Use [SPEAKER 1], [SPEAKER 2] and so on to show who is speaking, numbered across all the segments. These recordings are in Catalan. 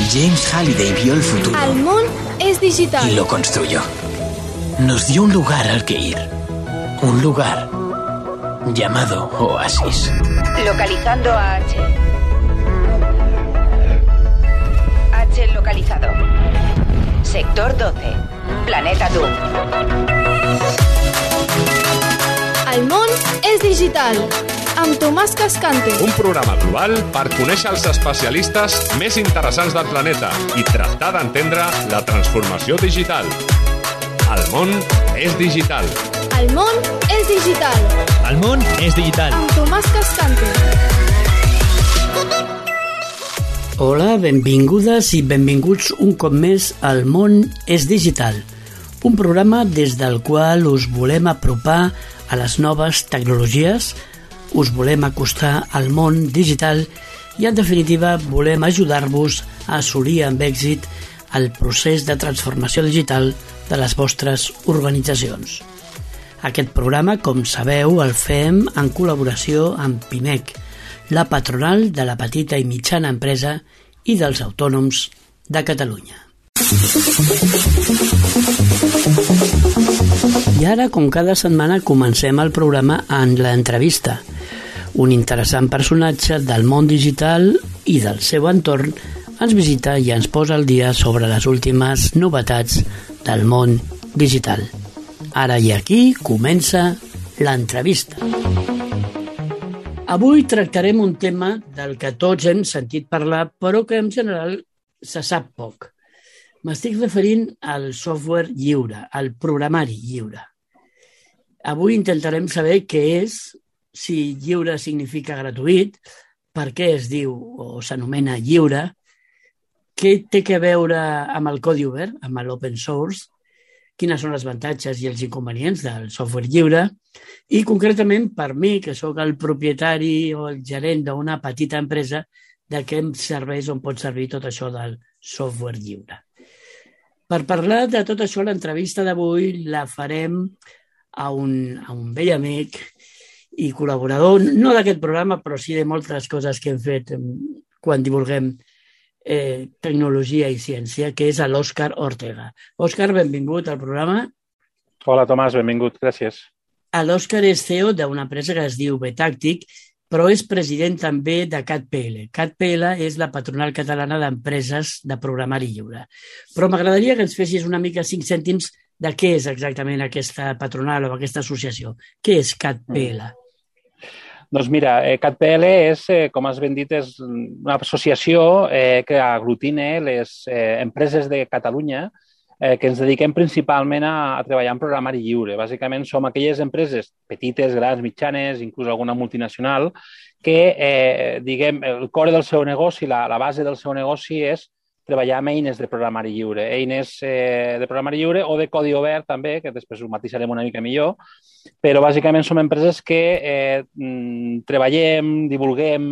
[SPEAKER 1] James Halliday vio el futuro.
[SPEAKER 2] El món es digital.
[SPEAKER 1] Y lo construyó. Nos dio un lugar al que ir. Un lugar llamado Oasis.
[SPEAKER 3] Localizando a H. H localizado. Sector 12. Planeta Doom.
[SPEAKER 2] El món és digital. Amb Tomàs Cascante.
[SPEAKER 4] Un programa global per conèixer els especialistes més interessants del planeta i tractar d'entendre la transformació digital. El món és digital.
[SPEAKER 2] El món és digital.
[SPEAKER 5] El món és digital.
[SPEAKER 2] Amb Tomàs Cascante.
[SPEAKER 6] Hola, benvingudes i benvinguts un cop més al món és digital. Un programa des del qual us volem apropar a les noves tecnologies, us volem acostar al món digital i, en definitiva, volem ajudar-vos a assolir amb èxit el procés de transformació digital de les vostres organitzacions. Aquest programa, com sabeu, el fem en col·laboració amb PIMEC, la patronal de la petita i mitjana empresa i dels autònoms de Catalunya. I ara, com cada setmana, comencem el programa en l'entrevista. Un interessant personatge del món digital i del seu entorn ens visita i ens posa al dia sobre les últimes novetats del món digital. Ara i aquí comença l'entrevista. Avui tractarem un tema del que tots hem sentit parlar, però que en general se sap poc. M'estic referint al software lliure, al programari lliure. Avui intentarem saber què és, si lliure significa gratuït, per què es diu o s'anomena lliure, què té a veure amb el codi obert, amb l'open source, quines són els avantatges i els inconvenients del software lliure i, concretament, per mi, que sóc el propietari o el gerent d'una petita empresa, de què em serveix o em pot servir tot això del software lliure. Per parlar de tot això, l'entrevista d'avui la farem a un vell amic i col·laborador, no d'aquest programa, però sí de moltes coses que hem fet quan divulguem tecnologia i ciència, que és l'Òscar Ortega. Òscar, benvingut al programa.
[SPEAKER 7] Hola, Tomàs, benvingut, gràcies.
[SPEAKER 6] L'Òscar és CEO d'una empresa que es diu Betàctic, però és president també de CatPL. CatPL és la patronal catalana d'empreses de programari lliure. Però m'agradaria que ens fessis una mica 5 cèntims de què és exactament aquesta patronal o aquesta associació. Què és CatPL?
[SPEAKER 7] Doncs mira, CatPL és, com has ben dit, és una associació que aglutina les empreses de Catalunya que ens dediquem principalment a treballar en programari lliure. Bàsicament som aquelles empreses petites, grans, mitjanes, inclús alguna multinacional, que, diguem, el core del seu negoci, la base del seu negoci és treballar amb eines de programari lliure. Eines de programari lliure o de codi obert també, que després ho matisarem una mica millor, però bàsicament som empreses que treballem, divulguem,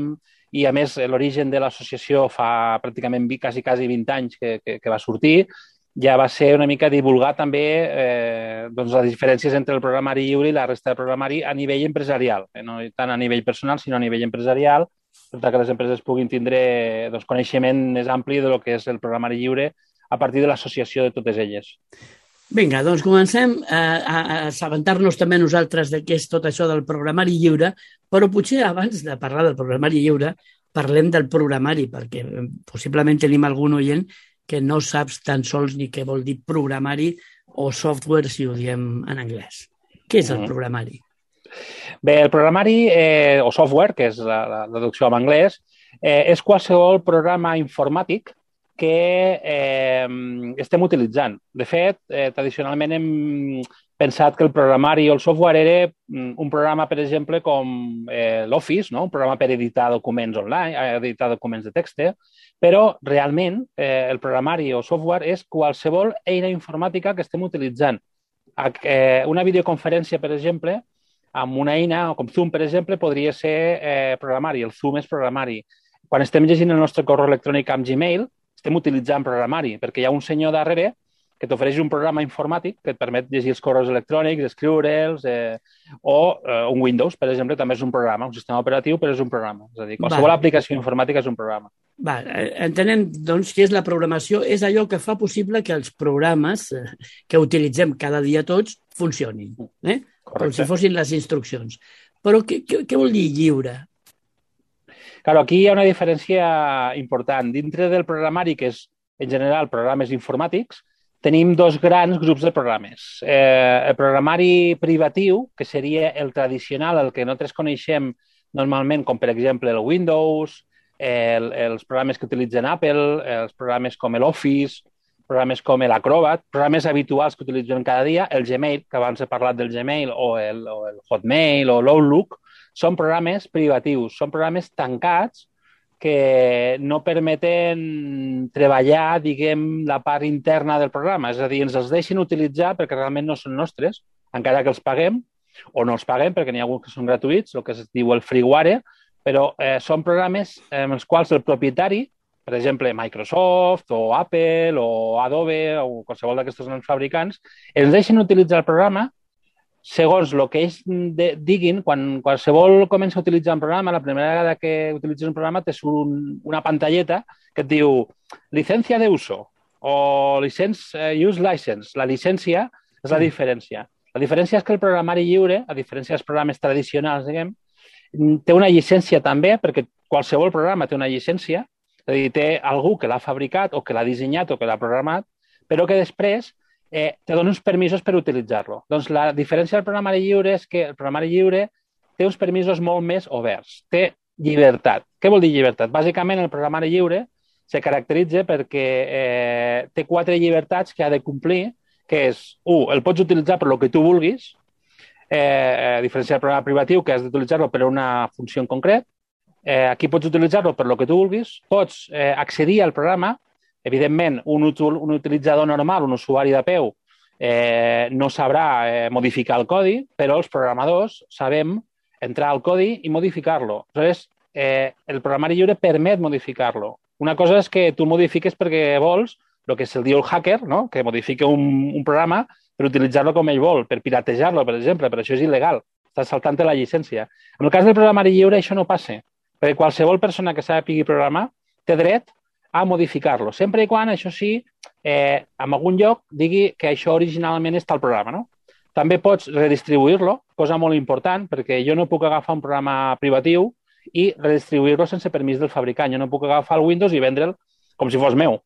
[SPEAKER 7] i a més l'origen de l'associació fa pràcticament quasi 20 anys que va sortir, ja va ser una mica divulgar també les diferències entre el programari lliure i la resta de programari a nivell empresarial, no tant a nivell personal, sinó a nivell empresarial, per que les empreses puguin tindre coneixement més ampli del que és el programari lliure a partir de l'associació de totes elles.
[SPEAKER 6] Vinga, doncs comencem a assabentar-nos també nosaltres de què és tot això del programari lliure, però potser abans de parlar del programari lliure parlem del programari, perquè possiblement tenim algun oient que no saps tan sols ni què vol dir programari o software, si ho diem en anglès. Què és el programari?
[SPEAKER 7] Bé, el programari o software, que és la traducció en anglès, és qualsevol programa informàtic que estem utilitzant. De fet, tradicionalment hem pensat que el programari o el software era un programa, per exemple, com l'Office, no? Un programa per editar documents online, editar documents de text, però realment el programari o software és qualsevol eina informàtica que estem utilitzant. Una videoconferència, per exemple, amb una eina com Zoom, per exemple, podria ser programari. El Zoom és programari. Quan estem llegint el nostre correu electrònic amb Gmail, estem utilitzant programari, perquè hi ha un senyor darrere que t'ofereix un programa informàtic que et permet llegir els correus electrònics, escriure'ls, o un Windows, per exemple, també és un programa, un sistema operatiu, però és un programa. És a dir, qualsevol aplicació informàtica és un programa.
[SPEAKER 6] Va, entenem, doncs, què és la programació. És allò que fa possible que els programes que utilitzem cada dia tots funcionin, com si fossin les instruccions. Però què vol dir lliure?
[SPEAKER 7] Claro, aquí hi ha una diferència important. Dintre del programari, que és, en general, programes informàtics, tenim dos grans grups de programes. El programari privatiu, que seria el tradicional, el que nosaltres coneixem normalment, com per exemple el Windows, els programes que utilitzen Apple, els programes com l'Office, programes com l'Acrobat, programes habituals que utilitzen cada dia, el Gmail, que abans he parlat del Gmail, o el Hotmail o l'Outlook, són programes privatius, són programes tancats que no permeten treballar, diguem, la part interna del programa. És a dir, ens els deixen utilitzar perquè realment no són nostres, encara que els paguem, o no els paguem perquè n'hi ha alguns que són gratuïts, el que es diu el freeware, però són programes en els quals el propietari, per exemple, Microsoft o Apple o Adobe o qualsevol d'aquestos grans fabricants, ens deixen utilitzar el programa segons el que ells diguin. Quan qualsevol comença a utilitzar un programa, la primera vegada que utilitzes un programa te surt una pantalleta que et diu licencia de uso o use license. La llicència és la diferència. La diferència és que el programari lliure, a diferència dels programes tradicionals, diguem, té una llicència també, perquè qualsevol programa té una llicència, és a dir, té algú que l'ha fabricat o que l'ha dissenyat o que l'ha programat, però que després te dona uns permisos per utilitzar-lo. Doncs la diferència del programari lliure és que el programari lliure té uns permisos molt més oberts. Té llibertat. Què vol dir llibertat? Bàsicament, el programari lliure se caracteritza perquè té 4 llibertats que ha de complir, que és, 1, el pots utilitzar per el que tu vulguis, a diferència del programa privatiu, que has d'utilitzar-lo per una funció en concret. Aquí pots utilitzar-lo per el que tu vulguis, pots accedir al programa. Evidentment, un utilitzador normal, un usuari de peu, no sabrà modificar el codi, però els programadors sabem entrar al codi i modificar-lo. Aleshores, el programari lliure permet modificar-lo. Una cosa és que tu modifiques perquè vols, el que se'l diu el hacker, no? Que modifica un programa per utilitzar-lo com ell vol, per piratejar-lo, per exemple, però això és il·legal. Estàs saltant la llicència. En el cas del programari lliure això no passa, perquè qualsevol persona que sàpiga programar té dret a modificar-lo, sempre i quan, això sí, en algun lloc digui que això originalment està al programa, no? També pots redistribuir-lo, cosa molt important, perquè jo no puc agafar un programa privatiu i redistribuir-lo sense permís del fabricant. Jo no puc agafar el Windows i vendre'l com si fos meu.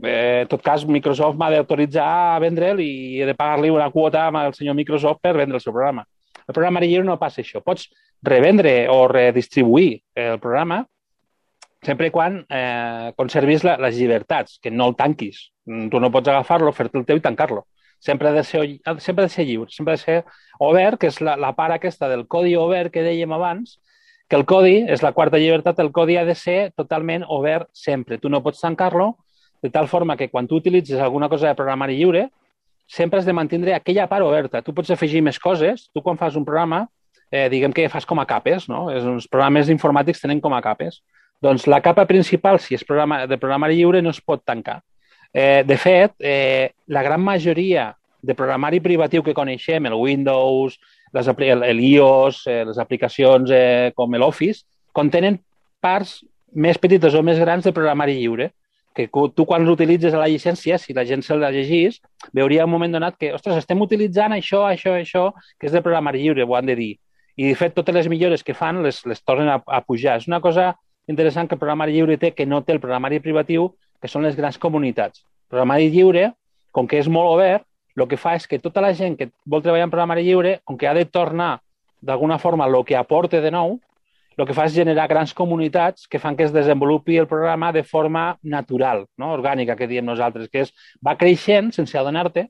[SPEAKER 7] En tot cas, Microsoft m'ha d'autoritzar a vendre'l i he de pagar-li una quota al senyor Microsoft per vendre el seu programa. El programari lliure no passa això. Pots revendre o redistribuir el programa sempre i quan conservis les llibertats, que no el tanquis. Tu no pots agafar-lo, fer-te el teu i tancar-lo. Sempre ha de ser lliure, sempre ha de ser obert, que és la part aquesta del codi obert que dèiem abans, que el codi, és la quarta llibertat, el codi ha de ser totalment obert sempre. Tu no pots tancar-lo, de tal forma que quan tu utilitzes alguna cosa de programari lliure, sempre has de mantenir aquella part oberta. Tu pots afegir més coses. Tu quan fas un programa, diguem que fas com a capes, no? Els programes informàtics tenen com a capes. Doncs la capa principal, si és de programari lliure, no es pot tancar. De fet, la gran majoria de programari privatiu que coneixem, el Windows, l'iOS, les aplicacions com l'Office, contenen parts més petites o més grans de programari lliure, que tu quan l'utilitzes a la llicència, si la gent se la llegís, veuria un moment donat que, ostres, estem utilitzant això, que és de programari lliure, ho han de dir. I, de fet, totes les millores que fan les tornen a pujar. És una cosa interessant que el programari lliure té, que no té el programari privatiu, que són les grans comunitats. El programari lliure, com que és molt obert, el que fa és que tota la gent que vol treballar en programari lliure, com que ha de tornar d'alguna forma el que aporte de nou, el que fa és generar grans comunitats que fan que es desenvolupi el programa de forma natural, no? Orgànica, que diem nosaltres, que va creixent sense adonar-te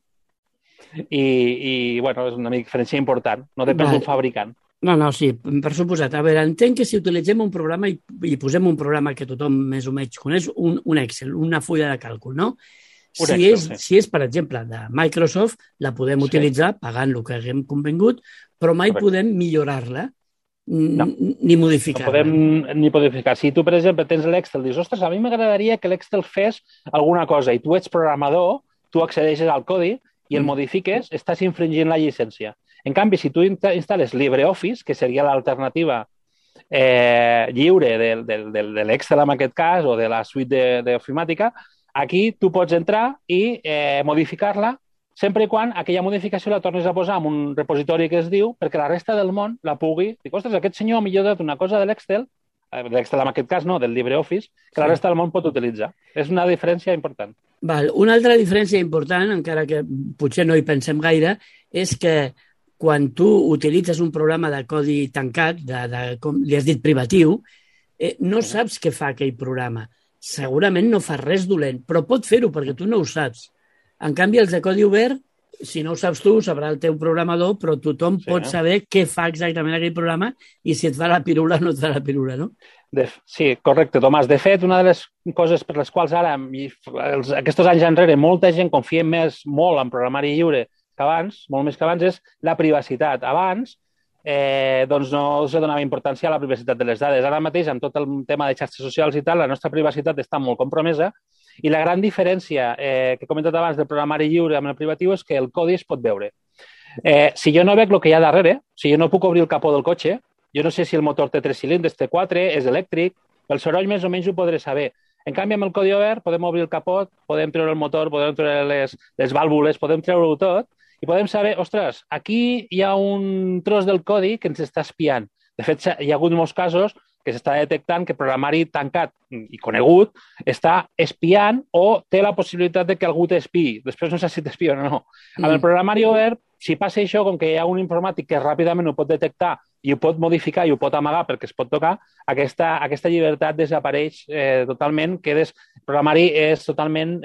[SPEAKER 7] i bueno, és una diferència important, no depèn d'un fabricant.
[SPEAKER 6] No, sí, per suposat. A veure, entenc que si utilitzem un programa i posem un programa que tothom més o menys coneix, un Excel, una fulla de càlcul, no? Si és, per exemple, de Microsoft, la podem utilitzar pagant el que haguem convingut, però mai podem millorar-la ni modificar-la.
[SPEAKER 7] No podem ni modificar. Si tu, per exemple, tens l'Excel i dius, ostres, a mi m'agradaria que l'Excel fes alguna cosa i tu ets programador, tu accedeixes al codi i el modifiques, estàs infringint la llicència. En canvi, si tu instal·les LibreOffice, que seria l'alternativa lliure de l'Excel en aquest cas o de la suite d'ofimàtica, aquí tu pots entrar i modificar-la sempre i quan aquella modificació la tornis a posar en un repositori que es diu perquè la resta del món la pugui... Dic, ostres, aquest senyor ha millorat una cosa de l'Excel en aquest cas no, del LibreOffice, que la resta del món pot utilitzar. És una diferència important.
[SPEAKER 6] Val. Una altra diferència important, encara que potser no hi pensem gaire, és que quan tu utilitzes un programa de codi tancat, com li has dit privatiu, no saps què fa aquell programa. Segurament no fa res dolent, però pot fer-ho perquè tu no ho saps. En canvi, els de codi obert, si no ho saps tu, ho sabrà el teu programador, però tothom pot saber què fa exactament aquell programa i si et fa la pirula o no et fa la pirula, no?
[SPEAKER 7] Sí, correcte, Tomàs. De fet, una de les coses per les quals ara, aquests anys enrere, molta gent confia molt en programari lliure que abans, molt més que abans, és la privacitat. Abans, doncs no se donava importància a la privacitat de les dades. Ara mateix, amb tot el tema de xarxes socials i tal, la nostra privacitat està molt compromesa i la gran diferència que he comentat abans del programari lliure amb el privatiu és que el codi es pot veure. Si jo no veig el que hi ha darrere, si jo no puc obrir el capó del cotxe, jo no sé si el motor té 3 cilindres, té 4, és elèctric, el soroll més o menys ho podré saber. En canvi, amb el codi obert podem obrir el capot, podem treure el motor, podem treure les vàlvules, podem treure-ho tot i podem saber, ostres, aquí hi ha un tros del codi que ens està espiant. De fet, hi ha hagut molts casos que s'està detectant que programari tancat i conegut està espiant o té la possibilitat de que algú t'espiï. Després no sé si t'espia o no. Amb el programari obert, si passa això, com que hi ha un informàtic que ràpidament ho pot detectar i ho pot modificar i ho pot amagar perquè es pot tocar, aquesta llibertat desapareix totalment. El programari és totalment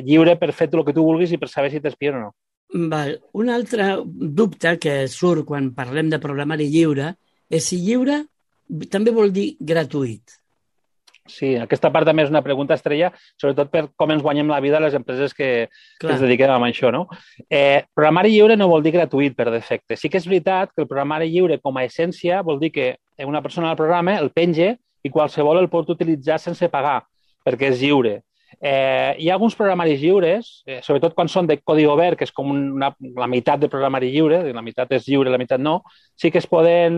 [SPEAKER 7] lliure per fer el que tu vulguis i per saber si t'espia o no.
[SPEAKER 6] Val. Un altre dubte que surt quan parlem de programari lliure és si lliure també vol dir gratuït.
[SPEAKER 7] Sí, aquesta part també és una pregunta estrella, sobretot per com ens guanyem la vida a les empreses que ens dediquem a això, no? Programari lliure no vol dir gratuït per defecte. Sí que és veritat que el programari lliure com a essència vol dir que una persona al programa el penja i qualsevol el pot utilitzar sense pagar, perquè és lliure. Hi ha alguns programaris lliures, sobretot quan són de codi obert, que és com la meitat de programari lliure, la meitat és lliure, la meitat no, sí que es poden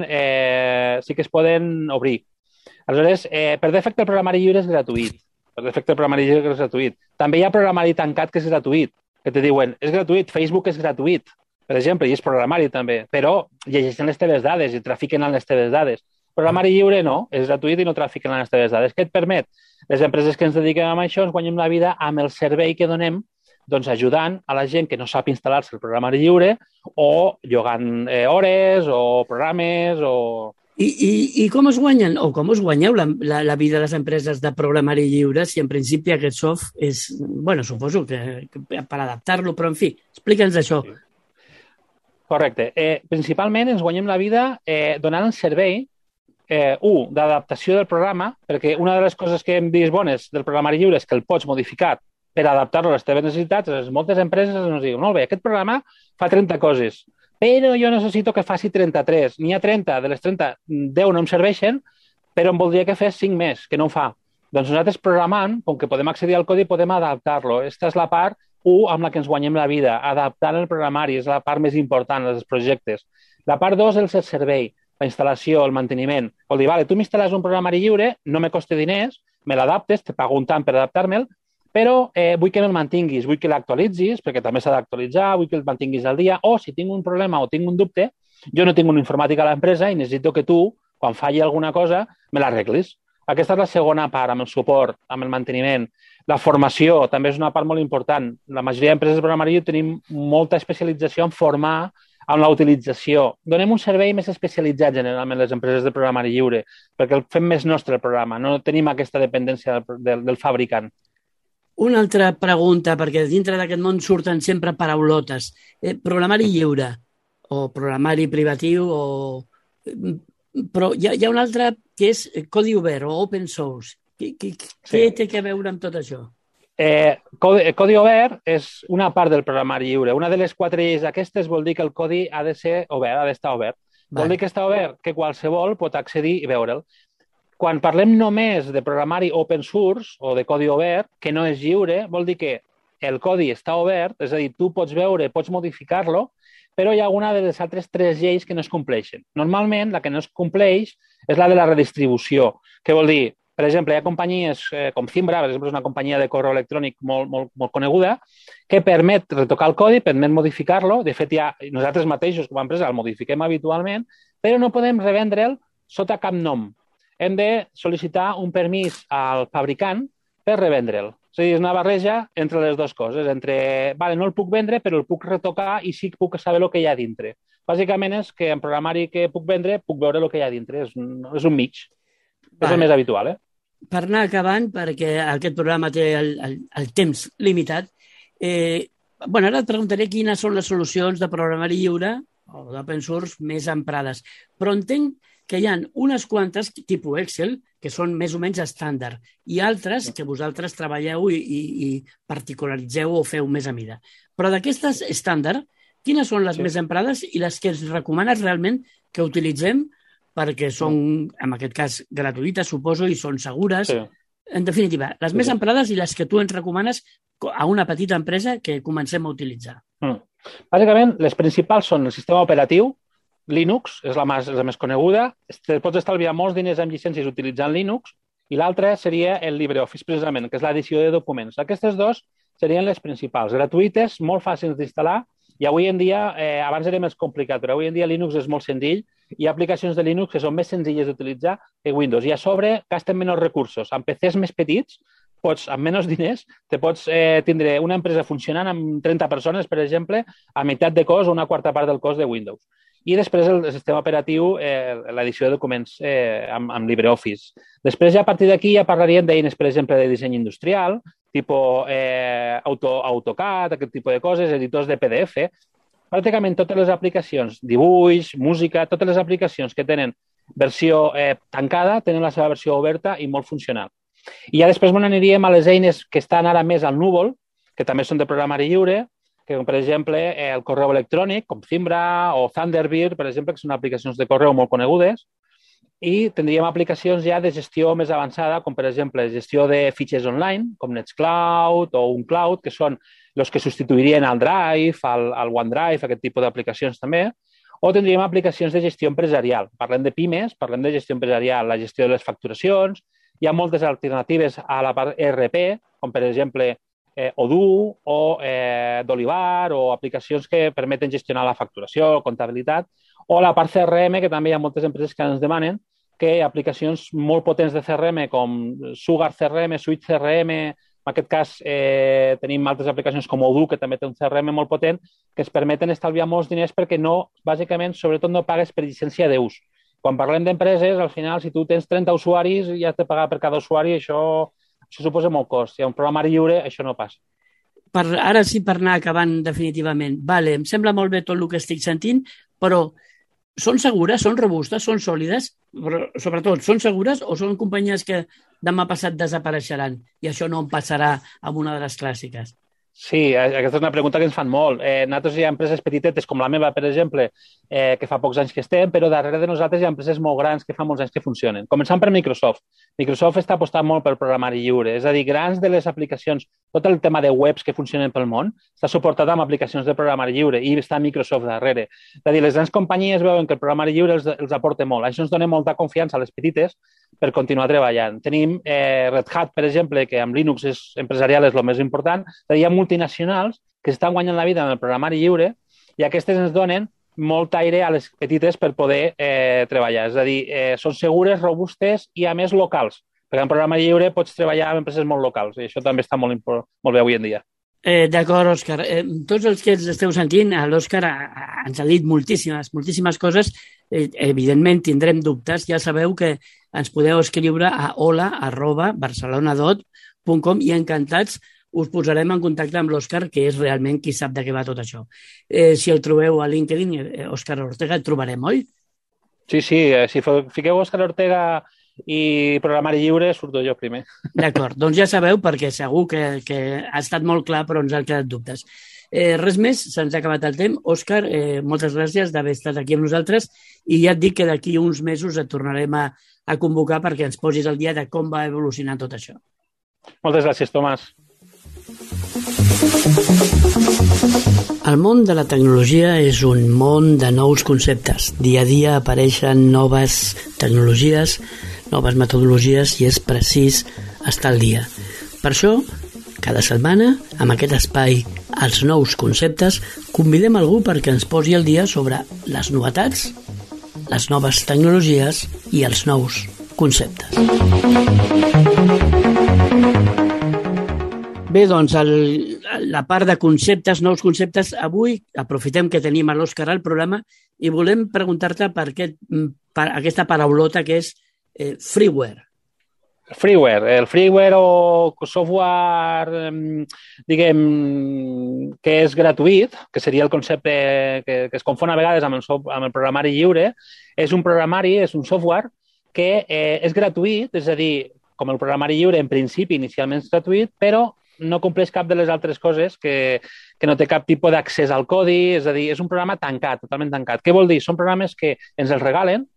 [SPEAKER 7] obrir. Aleshores, per defecte el programari lliure és gratuït. També hi ha programari tancat que és gratuït, que te diuen, és gratuït, Facebook és gratuït, per exemple, i és programari també, però llegeixen les teves dades i trafiquen en les teves dades. Programari lliure no, és gratuït i no trafiquen en les teves dades. Què et permet? Les empreses que ens dediquem a això ens guanyem la vida amb el servei que donem, doncs ajudant a la gent que no sap instal·lar-se el programari lliure o llogant hores o programes o...
[SPEAKER 6] I com es guanyen, o com us guanyeu la vida de les empreses de programari lliure si en principi aquest soft és, bueno, suposo que per adaptar-lo, però en fi, explica'ns això.
[SPEAKER 7] Correcte. Principalment ens guanyem la vida donant el servei d'adaptació del programa, perquè una de les coses que hem vist bones del programari lliure és que el pots modificar per adaptar-lo a les teves necessitats. Moltes empreses ens diuen, molt bé, aquest programa fa 30 coses, però jo necessito que faci 33. N'hi ha 30, de les 30, 10 no em serveixen, però em voldria que fes 5 més, que no ho fa. Doncs nosaltres programant, com que podem accedir al codi, podem adaptar-lo. Aquesta és la part 1 amb la que ens guanyem la vida, adaptant el programari, és la part més important dels projectes. La part 2 és el servei, la instal·lació, el manteniment. Vol dir, vale, tu m'instal·les un programari lliure, no me costa diners, me l'adaptes, te pago un tant per adaptar-me'l, però vull que me'l mantinguis, vull que l'actualitzis, perquè també s'ha d'actualitzar, vull que el mantinguis al dia, o si tinc un problema o tinc un dubte, jo no tinc un informàtic a l'empresa i necessito que tu, quan falli alguna cosa, me l'arreglis. Aquesta és la segona part, amb el suport, amb el manteniment. La formació també és una part molt important. La majoria d'empreses de programari lliure tenim molta especialització en formar amb la utilització. Donem un servei més especialitzat generalment les empreses de programari lliure, perquè el fem més nostre el programa, no tenim aquesta dependència del fabricant.
[SPEAKER 6] Una altra pregunta, perquè dintre d'aquest món surten sempre paraulotes. Programari lliure o programari privatiu però hi ha una altra que és codi obert o open source. Què té a veure amb tot això?
[SPEAKER 7] Codi obert és una part del programari lliure. Una de les 4 lleis aquestes vol dir que el codi ha de ser obert, ha d'estar obert. Vol dir que està obert, que qualsevol pot accedir i veure'l. Quan parlem només de programari open source o de codi obert, que no és lliure, vol dir que el codi està obert, és a dir, tu pots veure, pots modificar-lo, però hi ha alguna de les altres 3 lleis que no es compleixen. Normalment, la que no es compleix és la de la redistribució, que vol dir, per exemple, hi ha companyies com Zimbra, per exemple, és una companyia de correu electrònic molt coneguda, que permet retocar el codi, permet modificar-lo. De fet, nosaltres mateixos, com a empresa, el modifiquem habitualment, però no podem revendre'l sota cap nom. Hem de sol·licitar un permís al fabricant per revendre'l. És a dir, és una barreja entre les dues coses, no el puc vendre, però el puc retocar i sí que puc saber el que hi ha dintre. Bàsicament és que en programari que puc vendre puc veure el que hi ha dintre, és un mig. És el més habitual,
[SPEAKER 6] Per anar acabant, perquè aquest programa té el temps limitat, ara et preguntaré quines són les solucions de programari lliure o d'open source més emprades. Però entenc que hi ha unes quantes, tipus Excel, que són més o menys estàndard, i altres que vosaltres treballeu i particularitzeu o feu més a mida. Però d'aquestes estàndard, quines són les més emprades i les que ens recomanes realment que utilitzem perquè són, en aquest cas, gratuïtes, suposo, i són segures. Sí. En definitiva, les més emprades i les que tu ens recomanes a una petita empresa que comencem a utilitzar.
[SPEAKER 7] Bàsicament, les principals són el sistema operatiu, Linux és la més coneguda. Pots estalviar molts diners amb llicències utilitzant Linux, i l'altra seria el LibreOffice, precisament, que és l'edició de documents. Aquestes dues serien les principals, gratuïtes, molt fàcils d'instal·lar, i avui en dia, abans era més complicat, però avui en dia Linux és molt senzill. Hi ha aplicacions de Linux que són més senzilles d'utilitzar que Windows, i a sobre gasten menys recursos. Amb PCs més petits, amb menys diners, pots tindre una empresa funcionant amb 30 persones, per exemple, a meitat de cost o una quarta part del cost de Windows. I després el sistema operatiu, l'edició de documents amb LibreOffice. Després, a partir d'aquí, ja parlaríem d'eines, per exemple, de disseny industrial, tipus AutoCAD, aquest tipus de coses, editors de PDF. Pràcticament totes les aplicacions, dibuix, música, totes les aplicacions que tenen versió tancada tenen la seva versió oberta i molt funcional. I ja després aniríem a les eines que estan ara més al núvol, que també són de programari lliure, que, per exemple, el correu electrònic, com Zimbra o Thunderbird, per exemple, que són aplicacions de correu molt conegudes, i tindríem aplicacions ja de gestió més avançada, com, per exemple, gestió de fitxers online, com Nextcloud o UnCloud, que són els que substituirien al Drive, al OneDrive, aquest tipus d'aplicacions també, o tindríem aplicacions de gestió empresarial. Parlem de pimes, parlem de gestió empresarial, la gestió de les facturacions, hi ha moltes alternatives a la part ERP, com, per exemple, Odoo o d'Olivar, o aplicacions que permeten gestionar la facturació, comptabilitat, o la part CRM, que també hi ha moltes empreses que ens demanen que aplicacions molt potents de CRM com Sugar CRM, Suite CRM, en aquest cas tenim altres aplicacions com Odoo, que també té un CRM molt potent, que ens permeten estalviar molts diners perquè no, bàsicament, sobretot no pagues per llicència d'ús. Quan parlem d'empreses, al final, si tu tens 30 usuaris i has de pagar per cada usuari, això suposa molt cost. Si hi ha un programari lliure, això no passa.
[SPEAKER 6] Ara sí, per anar acabant definitivament. Vale, em sembla molt bé tot el que estic sentint, però són segures, són robustes, són sòlides, però sobretot, són segures o són companyies que demà passat desapareixeran i això no en passarà amb una de les clàssiques?
[SPEAKER 7] Sí, aquesta és una pregunta que ens fan molt. Nosaltres hi ha empreses petitetes, com la meva, per exemple, que fa pocs anys que estem, però darrere de nosaltres hi ha empreses molt grans que fa molts anys que funcionen. Començant per Microsoft. Microsoft està apostant molt pel programari lliure, és a dir, grans de les aplicacions, tot el tema de webs que funcionen pel món, està suportat amb aplicacions de programari lliure i està Microsoft darrere. És a dir, les grans companyies veuen que el programari lliure els aporta molt. Això ens dona molta confiança a les petites per continuar treballant. Tenim Red Hat, per exemple, que amb Linux empresarial és el més important. És a dir, hi ha multinacionals que estan guanyant la vida en el programari lliure i aquestes ens donen molt aire a les petites per poder treballar. És a dir, són segures, robustes i, a més, locals. Perquè en programari lliure pots treballar amb empreses molt locals i això també està molt bé avui en dia.
[SPEAKER 6] D'acord, Òscar. Tots els que ens esteu sentint, l'Òscar ens ha dit moltíssimes coses. Evidentment tindrem dubtes. Ja sabeu que ens podeu escriure a hola@barcelonadot.com i encantats us posarem en contacte amb l'Òscar, que és realment qui sap de què va tot això. Si el trobeu a LinkedIn, Òscar Ortega, el trobarem, oi?
[SPEAKER 7] Sí, si fiqueu Òscar Ortega i programari lliure, surto jo primer.
[SPEAKER 6] D'acord, doncs ja sabeu, perquè segur que ha estat molt clar, però ens han quedat dubtes. Res més, se'ns ha acabat el temps. Òscar, moltes gràcies d'haver estat aquí amb nosaltres i ja et dic que d'aquí uns mesos et tornarem a convocar perquè ens posis al dia de com va evolucionar tot això.
[SPEAKER 7] Moltes gràcies, Tomàs.
[SPEAKER 6] El món de la tecnologia és un món de nous conceptes. Dia a dia apareixen noves tecnologies, noves metodologies i és precís estar al dia. Per això, cada setmana, amb aquest espai Els nous conceptes, convidem algú perquè ens posi al dia sobre les novetats, les noves tecnologies i els nous conceptes. Bé, doncs, la part de conceptes, nous conceptes, avui aprofitem que tenim a l'Òscar al programa i volem preguntar-te per aquesta paraulota que és freeware.
[SPEAKER 7] Freeware. El freeware o software, diguem, que és gratuït, que seria el concepte que es confon a vegades amb el programari lliure, és un programari, és un software que és gratuït, és a dir, com el programari lliure en principi inicialment és gratuït, però no compleix cap de les altres coses que no té cap tipus d'accés al codi, és a dir, és un programa tancat, totalment tancat. Què vol dir? Són programes que ens els regalen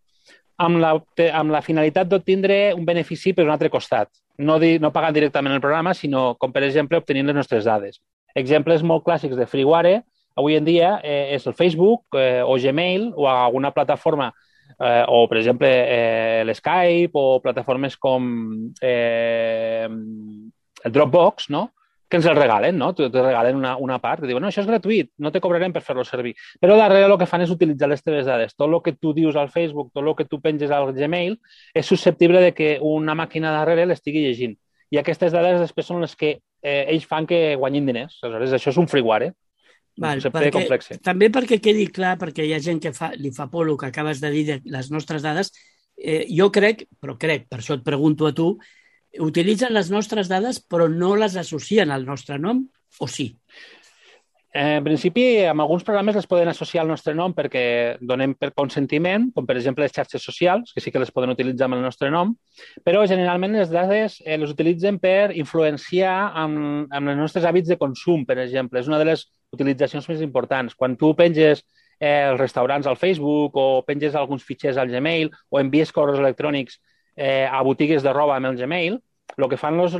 [SPEAKER 7] amb la finalitat d'obtindre un benefici per un altre costat. No pagant directament el programa, sinó, com per exemple, obtenint les nostres dades. Exemples molt clàssics de freeware avui en dia és el Facebook o Gmail o alguna plataforma o, per exemple, l'Skype o plataformes com el Dropbox, no? Que ens el regalen, no? Te regalen una part, que diuen, no, això és gratuït, no te cobrarem per fer-lo servir. Però darrere el que fan és utilitzar les teves dades. Tot el que tu dius al Facebook, tot el que tu penges al Gmail, és susceptible de que una màquina darrere l'estigui llegint. I aquestes dades després són les que ells fan que guanyin diners. Aleshores, això és un freeware.
[SPEAKER 6] Val, també perquè quedi clar, perquè hi ha gent que li fa por el que acabes de dir de les nostres dades, jo crec, per això et pregunto a tu, utilitzen les nostres dades però no les associen al nostre nom, o sí?
[SPEAKER 7] En principi, amb alguns programes les poden associar al nostre nom perquè donem per consentiment, com per exemple les xarxes socials, que sí que les poden utilitzar amb el nostre nom, però generalment les dades les utilitzen per influenciar amb els nostres hàbits de consum, per exemple. És una de les utilitzacions més importants. Quan tu penges els restaurants al Facebook o penges alguns fitxers al Gmail o envies correus electrònics a botigues de roba amb el Gmail, el que fan les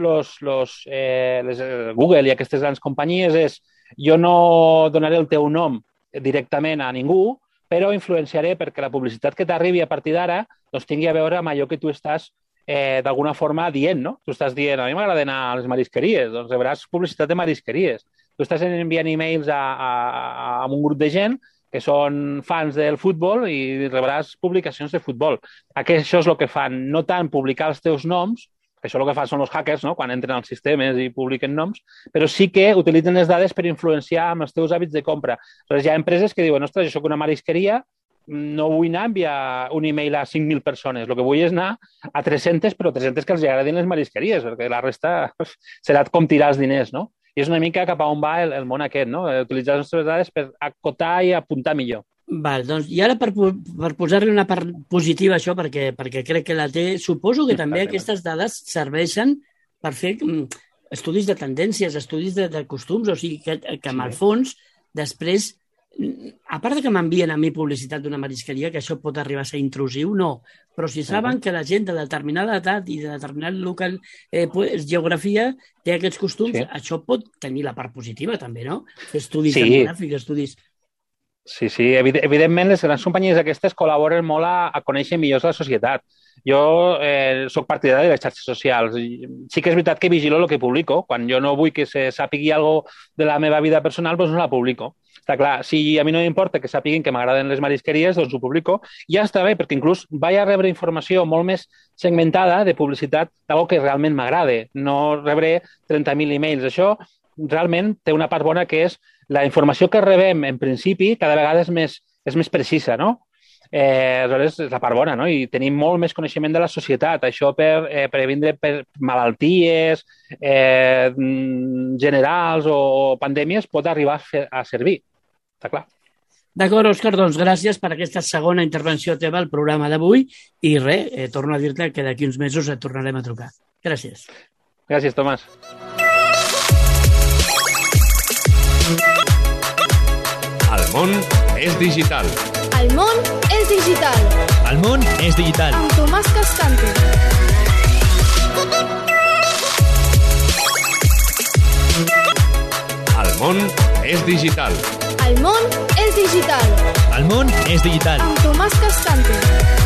[SPEAKER 7] Google i aquestes grans companyies és jo no donaré el teu nom directament a ningú, però influenciaré perquè la publicitat que t'arribi a partir d'ara doncs tingui a veure amb allò que tu estàs d'alguna forma dient, no? Tu estàs dient, a mi m'agrada anar a les marisqueries, doncs rebràs publicitat de marisqueries. Tu estàs enviant e-mails a un grup de gent que són fans del futbol i rebràs publicacions de futbol. Això és el que fan, no tant publicar els teus noms, que això el que fan són els hackers, no? Quan entren als sistemes i publiquen noms, però sí que utilitzen les dades per influenciar amb els teus hàbits de compra. Aleshores, hi ha empreses que diuen, ostres, jo soc una marisqueria, no vull anar a enviar un e-mail a 5.000 persones, el que vull és anar a 300, però 300 que els agradin les marisqueries, perquè la resta serà com tirar els diners, no? I és una mica cap a on va el món aquest, no? Utilitzar les nostres dades per acotar i apuntar millor.
[SPEAKER 6] Val, doncs, i ara per posar-li una part positiva a això, perquè crec que la té, suposo que també aquestes dades serveixen per fer estudis de tendències, estudis de costums, o sigui que en el fons, després, a part que m'envien a mi publicitat d'una marisqueria, que això pot arribar a ser intrusiu, no, però si saben que la gent de determinada edat i de determinat local, geografia, té aquests costums, això pot tenir la part positiva també, no? Fer estudis demogràfics, estudis...
[SPEAKER 7] Sí, evidentment les grans companyies aquestes col·laboren molt a conèixer millor la societat. Jo soc partidari de les xarxes socials. Sí que és veritat que vigilo el que publico. Quan jo no vull que se sàpigui alguna cosa de la meva vida personal, doncs no la publico. Està clar, si a mi no m'importa que sàpiguin que m'agraden les marisqueries, doncs ho publico. I ja està bé, perquè inclús vaig a rebre informació molt més segmentada de publicitat d'algo que realment m'agrade. No rebré 30.000 e-mails. Això realment té una part bona que és la informació que rebem, en principi, cada vegada és més precisa, no? Aleshores, és la part bona, no? I tenim molt més coneixement de la societat. Això per previndre malalties generals o pandèmies pot arribar a servir. Està clar.
[SPEAKER 6] D'acord, Òscar, doncs gràcies per aquesta segona intervenció teva al programa d'avui i res, torno a dir-te que d'aquí uns mesos et tornarem a trucar. Gràcies.
[SPEAKER 7] Gràcies, Tomàs.
[SPEAKER 4] El món és digital.
[SPEAKER 2] El món és digital.
[SPEAKER 5] El món és digital.
[SPEAKER 2] Amb Tomàs Cascante.
[SPEAKER 4] El món és digital.
[SPEAKER 2] El món és digital.
[SPEAKER 5] El món és digital.
[SPEAKER 2] Amb Tomàs Cascante.